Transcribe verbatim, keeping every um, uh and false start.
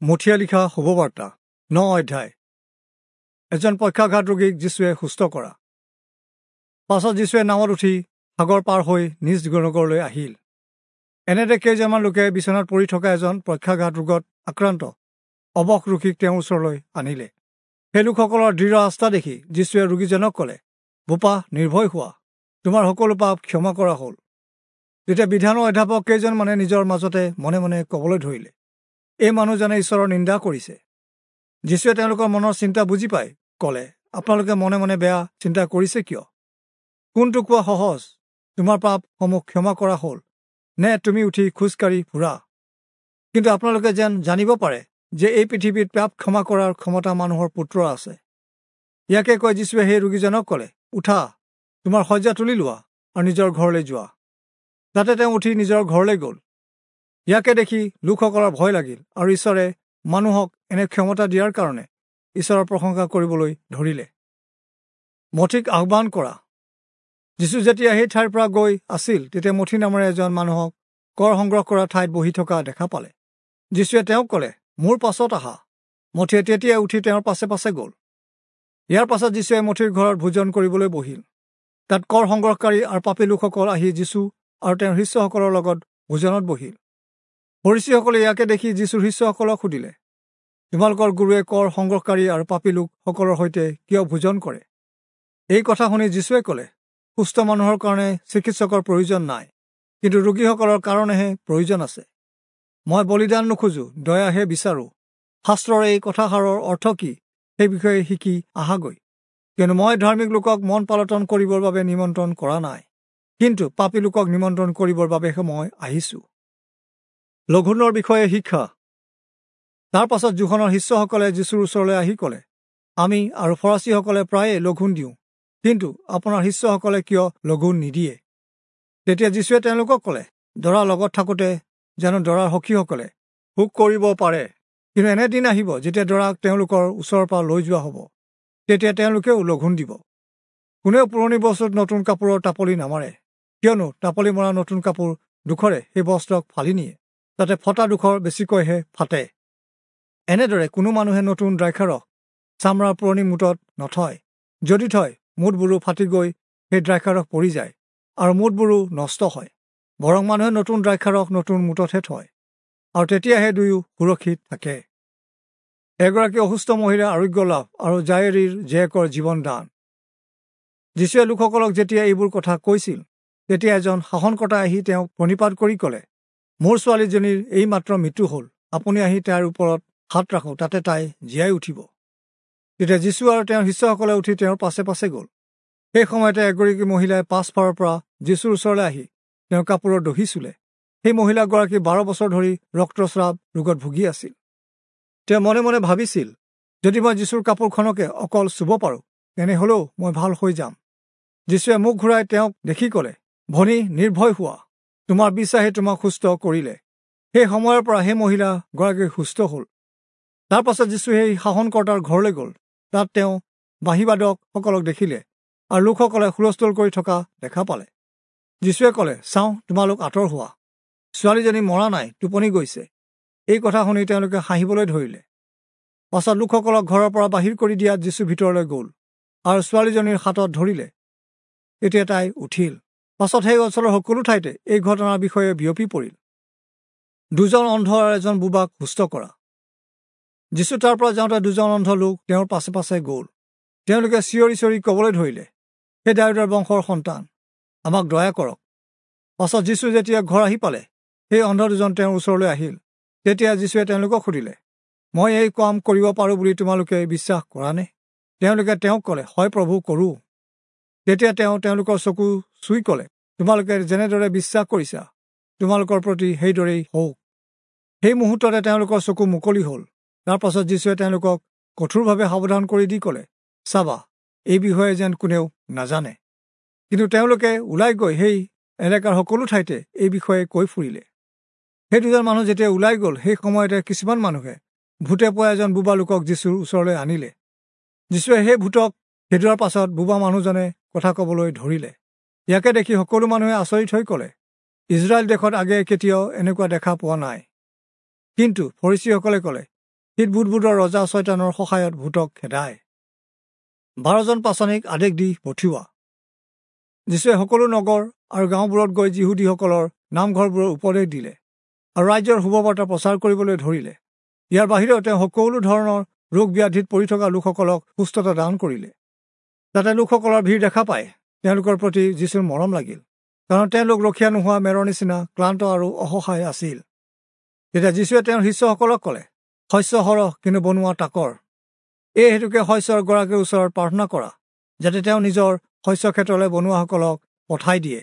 মথিয়ে লিখা শুভবাৰ্তা ন অধ্যায়। এজন পক্ষাঘাত ৰোগীক যীশুৱে সুস্থ কৰা। পাছত যীশুৱে নাৱত উঠি সাগৰ পাৰ হৈ নিজ নগৰলৈ আহিল। এনেতে কেইজনমান লোকে বিচনাত পৰি থকা এজন পক্ষাঘাত ৰোগত আক্ৰান্ত অৱশ ৰোগীক তেওঁৰ ওচৰলৈ আনিলে। সেই লোকসকলৰ দৃঢ় আস্থা দেখি যীশুৱে ৰোগীজনক ক'লে, বোপা, নিৰ্ভয় হোৱা, তোমাৰ সকলো পাপ ক্ষমা কৰা হ'ল। তেতিয়া বিধানৰ অধ্যাপক কেইজনমানে নিজৰ মাজতে মনে মনে ক'বলৈ ধৰিলে, এই মানুহজনে ঈশ্বৰৰ নিন্দা কৰিছে। যীশুৱে তেওঁলোকৰ মনৰ চিন্তা বুজি পাই ক'লে, আপোনালোকে মনে মনে বেয়া চিন্তা কৰিছে কিয়? কোনটো কোৱা সহজ, তোমাৰ পাপসমূহ ক্ষমা কৰা হ'ল, নে তুমি উঠি খোজকাঢ়ি ফুৰা? কিন্তু আপোনালোকে যেন জানিব পাৰে যে এই পৃথিৱীত পাপ ক্ষমা কৰাৰ ক্ষমতা মানুহৰ পুত্ৰ আছে। ইয়াকে কৈ যীশুৱে সেই ৰোগীজনক ক'লে, উঠা, তোমাৰ শয্যা তুলি লোৱা আৰু নিজৰ ঘৰলৈ যোৱা। তাতে তেওঁ উঠি নিজৰ ঘৰলৈ গ'ল। ইয়াকে দেখি লোকসকলৰ ভয় লাগিল আৰু ঈশ্বৰে মানুহক এনে ক্ষমতা দিয়াৰ কাৰণে ঈশ্বৰৰ প্ৰশংসা কৰিবলৈ ধৰিলে। মথিক আহ্বান কৰা। যীশু যেতিয়া সেই ঠাইৰ পৰা গৈ আছিল, তেতিয়া মথি নামেৰে এজন মানুহক কৰ সংগ্ৰহ কৰা ঠাইত বহি থকা দেখা পালে। যীশুৱে তেওঁক ক'লে, মোৰ পাছত আহা। মথিয়ে তেতিয়াই উঠি তেওঁৰ পাছে পাছে গ'ল। ইয়াৰ পাছত যীশুৱে মথিৰ ঘৰত ভোজন কৰিবলৈ বহিল। তাত কৰ সংগ্ৰহকাৰী আৰু পাপী লোকসকল আহি যীশু আৰু তেওঁৰ শিষ্যসকলৰ লগত ভোজনত বহিল। ফৰীচীসকলে ইয়াকে দেখি যীশুৰ শিষ্যসকলক সুধিলে, তোমালোকৰ গুৰুৱে কৰ সংগ্ৰহকাৰী আৰু পাপী লোকসকলৰ সৈতে কিয় ভোজন কৰে? এই কথা শুনি যীশুৱে ক'লে, সুস্থ মানুহৰ কাৰণে চিকিৎসকৰ প্ৰয়োজন নাই, কিন্তু ৰোগীসকলৰ কাৰণেহে প্ৰয়োজন আছে। মই বলিদান নোখোজো, দয়াহে বিচাৰোঁ। শাস্ত্ৰৰ এই কথাষাৰৰ অৰ্থ কি সেই বিষয়ে শিকি আহাগৈ। কিয়নো মই ধাৰ্মিক লোকক মন পালটন কৰিবৰ বাবে নিমন্ত্ৰণ কৰা নাই, কিন্তু পাপী লোকক নিমন্ত্ৰণ কৰিবৰ বাবেহে মই আহিছোঁ। লঘোণৰ বিষয়ে শিক্ষা। তাৰ পাছত যোহনৰ শিষ্যসকলে যীশুৰ ওচৰলৈ আহি ক'লে, আমি আৰু ফৰাচীসকলে প্ৰায়ে লঘোণ দিওঁ, কিন্তু আপোনাৰ শিষ্যসকলে কিয় লঘোণ নিদিয়ে? তেতিয়া যীশুৱে তেওঁলোকক ক'লে, দৰা লগত থাকোঁতে জানো দৰাৰ সখীসকলে শোক কৰিব পাৰে? কিন্তু এনে দিন আহিব যেতিয়া দৰাক তেওঁলোকৰ ওচৰৰ পৰা লৈ যোৱা হ'ব, তেতিয়া তেওঁলোকেও লঘোণ দিব। কোনেও পুৰণি বস্তুত নতুন কাপোৰৰ টাপলি নামাৰে, কিয়নো টাপলি মৰা নতুন কাপোৰ দুখৰে সেই বস্ত্ৰক ফালি নিয়ে, তাতে ফটা দুখৰ বেছিকৈহে ফাটে। এনেদৰে কোনো মানুহে নতুন দ্ৰাক্ষাৰস চামৰাৰ পুৰণি মুঠত নথয়, যদি থয় মুঠবোৰো ফাটি গৈ সেই দ্ৰাক্ষাৰস পৰি যায় আৰু মুঠবোৰো নষ্ট হয়। বৰং মানুহে নতুন দ্ৰাক্ষাৰস নতুন মুঠতহে থয়, আৰু তেতিয়াহে দুয়ো সুৰক্ষিত থাকে। এগৰাকী অসুস্থ মহিলাৰ আৰোগ্য লাভ আৰু জায়েৰীৰ জীয়েকৰ জীৱন দান। যীশুৱে লোকসকলক যেতিয়া এইবোৰ কথা কৈছিল, তেতিয়া এজন শাসনকৰ্তা আহি তেওঁক প্ৰণিপাত কৰি ক'লে, মোৰ ছোৱালীজনীৰ এইমাত্ৰ মৃত্যু হ'ল, আপুনি আহি তাইৰ ওপৰত হাত ৰাখক, তাতে তাই জীয়াই উঠিব। তেতিয়া যীশু আৰু তেওঁৰ শিষ্যসকলে উঠি তেওঁৰ পাছে পাছে গ'ল। সেই সময়তে এগৰাকী মহিলাই পাছফালৰ পৰা যীশুৰ ওচৰলৈ আহি তেওঁৰ কাপোৰৰ দহি চুলে। সেই মহিলাগৰাকী বাৰ বছৰ ধৰি ৰক্তস্ৰাৱ ৰোগত ভুগি আছিল। তেওঁ মনে মনে ভাবিছিল, যদি মই যীশুৰ কাপোৰখনকে অকল চুব পাৰোঁ, তেনেহ'লেও মই ভাল হৈ যাম। যীশুৱে মুখ ঘূৰাই তেওঁক দেখি ক'লে, ভনী, নিৰ্ভয় হোৱা, তোমাৰ বিশ্বাসে তোমাক সুস্থ কৰিলে। সেই সময়ৰ পৰা সেই মহিলাগৰাকী সুস্থ হ'ল। তাৰ পাছত যীশু সেই শাসনকৰ্তাৰ ঘৰলৈ গ'ল। তাত তেওঁ বাঁহীবাদকসকলক দেখিলে আৰু লোকসকলে হুলস্থুল কৰি থকা দেখা পালে। যীশুৱে ক'লে, চাওঁ, তোমালোক আঁতৰ হোৱা, ছোৱালীজনী মৰা নাই, টোপনি গৈছে। এই কথা শুনি তেওঁলোকে হাঁহিবলৈ ধৰিলে। পাছত লোকসকলক ঘৰৰ পৰা বাহিৰ কৰি দিয়াত যীশু ভিতৰলৈ গ'ল আৰু ছোৱালীজনীৰ হাতত ধৰিলে। তেতিয়া তাই উঠিল। পাছত সেই অঞ্চলৰ সকলো ঠাইতে এই ঘটনাৰ বিষয়ে বিয়পি পৰিল। দুজন অন্ধ আৰু এজন বোবাক সুস্থ কৰা। যীশু তাৰ পৰা যাওঁতে দুজন অন্ধ লোক তেওঁৰ পাছে পাছে গ'ল। তেওঁলোকে চিঞৰি চিঞৰি ক'বলৈ ধৰিলে, হে দায়ূদৰ বংশৰ সন্তান, আমাক দয়া কৰক। পাছত যীশু যেতিয়া ঘৰ আহি পালে, সেই অন্ধ দুজন তেওঁৰ ওচৰলৈ আহিল। তেতিয়া যীশুৱে তেওঁলোকক সুধিলে, মই এই কাম কৰিব পাৰোঁ বুলি তোমালোকে বিশ্বাস কৰানে? তেওঁলোকে তেওঁক ক'লে, হয় প্ৰভু, কৰোঁ। তেতিয়া তেওঁ তেওঁলোকৰ চকু চুই ক'লে, তোমালোকে যেনেদৰে বিশ্বাস কৰিছা, তোমালোকৰ প্ৰতি সেইদৰেই হওক। সেই মুহূৰ্ততে তেওঁলোকৰ চকু মুকলি হ'ল। তাৰ পাছত যীশুৱে তেওঁলোকক কঠোৰভাৱে সাৱধান কৰি দি ক'লে, চাবা, এই বিষয়ে যেন কোনেও নাজানে। কিন্তু তেওঁলোকে ওলাই গৈ সেই এলেকাৰ সকলো ঠাইতে এই বিষয়ে কৈ ফুৰিলে। সেই দুজন মানুহ যেতিয়া ওলাই গ'ল, সেই সময়তে কিছুমান মানুহে ভূতে পোৱা এজন বোবা লোকক যীশুৰ ওচৰলৈ আনিলে। যীশুৱে সেই ভূতক খেদোৱাৰ পাছত বোবা মানুহজনে কথা ক'বলৈ ধৰিলে। ইয়াকে দেখি সকলো মানুহে আচৰিত হৈ ক'লে, ইজৰাইল দেশত আগেয়ে কেতিয়াও এনেকুৱা দেখা পোৱা নাই। কিন্তু ফৰীচীসকলে ক'লে, সি ভূতবোৰৰ ৰজা চয়তানৰ সহায়ত ভূতক খেদায়। বাৰজন পাচনিক আদেশ দি পঠিওৱা। যীচুৱে সকলো নগৰ আৰু গাঁওবোৰত গৈ যিহুদীসকলৰ নামঘৰবোৰৰ উপদেশ দিলে আৰু ৰাজ্যৰ শুভবাৰ্তা প্ৰচাৰ কৰিবলৈ ধৰিলে। ইয়াৰ বাহিৰেও তেওঁ সকলো ধৰণৰ ৰোগ ব্যাধিত পৰি থকা লোকসকলক সুস্থতা দান কৰিলে। তাতে লোকসকলৰ ভিৰ দেখা পাই তেওঁলোকৰ প্ৰতি যীচুৰ মৰম লাগিল, কাৰণ তেওঁলোক ৰখীয়া নোহোৱা মেৰৰ নিচিনা ক্লান্ত আৰু অসহায় আছিল। তেতিয়া যীচুৱে তেওঁৰ শিষ্যসকলক ক'লে, শস্য সৰহ কিন্তু বনোৱা তাকৰ। এই হেতুকে শস্যৰ গৰাকীৰ ওচৰত প্ৰাৰ্থনা কৰা, যাতে তেওঁ নিজৰ শস্য ক্ষেত্ৰলৈ বনোৱাসকলক পঠাই দিয়ে।